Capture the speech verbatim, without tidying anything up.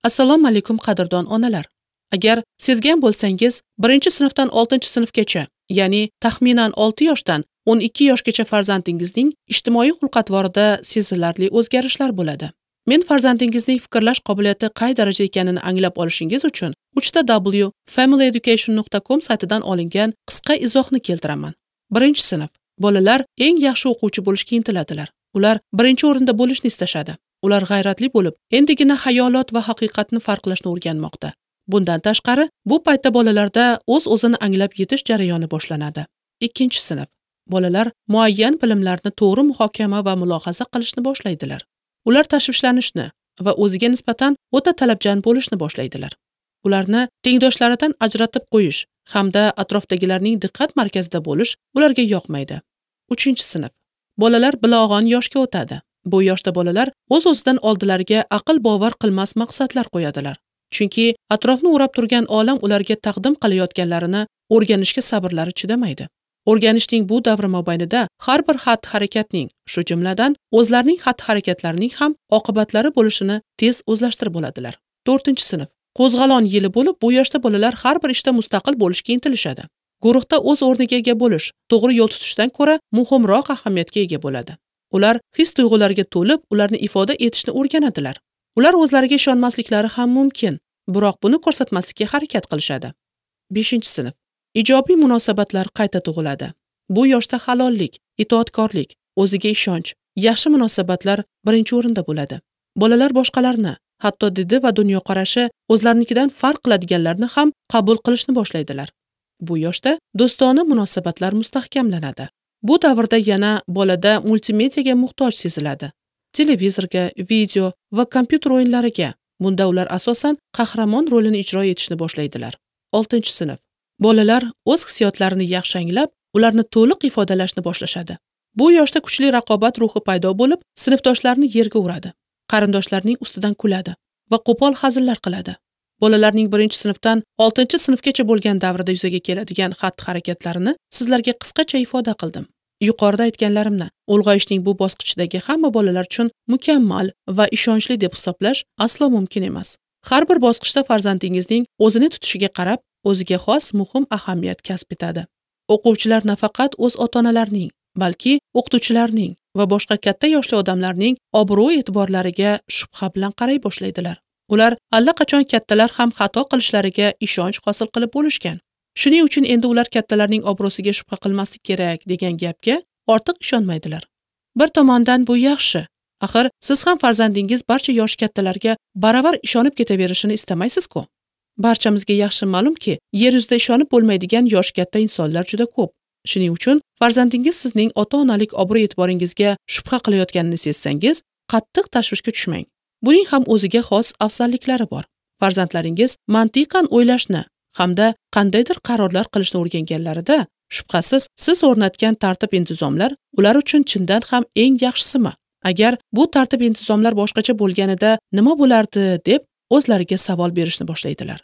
Assalomu alaykum qadrdon onalar. Agar sezgan bo'lsangiz, birinchi sinfdan oltinchi sinfgacha, ya'ni taxminan olti yoshdan o'n ikki yoshgacha farzandingizning ijtimoiy xulq-atvorida sezilarli o'zgarishlar bo'ladi. Men farzandingizning fikrlash qobiliyati qay darajada ekanini anglab olishingiz uchun uch ta w family education nuqta com saytidan olingan qisqa izohni keltiraman. Birinchi sinf. Bolalar eng yaxshi o'quvchi bo'lishga intiladilar. Ular birinchi o'rinda bo'lishni istashadi. Ular g'ayratli bo'lib, endigina xayolot va haqiqatni farqlashni o'rganmoqda. Bundan tashqari, bu paytda bolalarda o'z-o'zini anglab yetish jarayoni boshlanadi. Ikkinchi sinf. Bolalar muayyan bilimlarni to'g'ri muhokama va mulohaza qilishni boshlaydilar. Ular tashvishlanishni va o'ziga nisbatan o'ta talabchan bo'lishni boshlaydilar. Ularni tengdoshlaridan ajratib qo'yish hamda atrofdagilarning diqqat markazida bo'lish ularga yoqmaydi. Uchinchi sinf. Bolalar bilag'on yoshga o'tadi. Bu yoshda bolalar o'z-o'zidan oldilariga aql bovar qilmas maqsadlar qo'yadilar. Chunki atrofni o'rab turgan olam ularga taqdim qilayotganlarini o'rganishga sabrlari chidamaydi. O'rganishning bu davri mobaynida har bir xatti-harakatning, shu jumladan o'zlarining xatti-harakatlarining ham oqibatlari bo'lishini tez o'zlashtirib oladilar. To'rtinchi sinf. Qo'zg'alon yili bo'lib, bu yoshda bolalar har bir ishda mustaqil bo'lishga intilishadi. Guruhda o'z o'rniga ega bo'lish, to'g'ri yo'l tutishdan ko'ra muhimroq ahamiyatga ega bo'ladi. Ular his-tuyg'ularga to'lib, ularni ifoda etishni o'rganadilar. Ular o'zlariga ishonmasliklari ham mumkin, biroq buni ko'rsatmaslikka harakat qilishadi. Beshinchi sinf. Ijobiy munosabatlar qayta tug'iladi. Bu yoshda halollik, itoatkorlik, o'ziga ishonch, yaxshi munosabatlar birinchi o'rinda bo'ladi. Bolalar boshqalarni, hatto didi va dunyoqarashi o'zlarinikidan farq qiladiganlarni ham qabul qilishni boshlaydilar. Bu yoshda do'stona munosabatlar mustahkamlanadi. Bu davrda yana bolada multimediaga muhtoj seziladi. Televizorga, video va kompyuter o'yinlariga. Bunda ular asosan qahramon rolini ijro etishni boshlaydilar. Oltinchi sinf. Bolalar o'z hissiyotlarini yaxshi anglab, ularni to'liq ifodalashni boshlashadi. Bu yoshda kuchli raqobat ruhi paydo bo'lib, sinfdoshlarini yerga uradi, qarindoshlarning ustidan kuladi va qo'pol hazillar qiladi. Bolalarning birinchi sinfdan oltinchi sinfgacha bo'lgan davrida yuzaga keladigan xatti-harakatlarini sizlarga qisqacha ifoda qildim. Yuqorida aytganlarimni ulg'ayishning bu bosqichidagi hamma bolalar uchun mukammal va ishonchli deb hisoblash aslo mumkin emas. Har bir bosqichda farzandingizning o'zini tutishiga qarab, o'ziga xos muhim ahamiyat kasb etadi. O'quvchilar nafaqat o'z ota-onalarining, balki o'qituvchilarning va boshqa katta yoshli odamlarning obro'-e'tiborlariga shubha bilan qaray boshlaydilar. Ular allaqachon kattalar ham xato qilishlariga ishonch hosil qilib bo'lishgan. Shuning uchun endi ular kattalarning obro'siga shubha qilmaslik kerak degan gapga ortiq ishonmaydilar. Bir tomondan bu yaxshi. Axir siz ham farzandingiz barcha yosh kattalarga baravar ishonib ketaverishini istamaysiz-ku. Barchamizga yaxshi ma'lumki, yer yuzida ishonib bo'lmaydigan yosh katta insonlar juda ko'p. Shuning uchun farzandingiz sizning ota-onalik obro'-e'tiboringizga shubha qilayotganini sezsangiz, qattiq tashvishga tushmang. Buning ham o'ziga xos afzalliklari bor. Farzandlaringiz mantiqan o'ylashni hamda qandaydir qarorlar qilishni o'rganganlarida, shubhasiz siz o'rnatgan tartib-intizomlar ular uchun chindan ham eng yaxshisimi? Agar bu tartib-intizomlar boshqacha bo'lganida nima bo'lardi deb o'zlariga savol berishni boshlaydilar.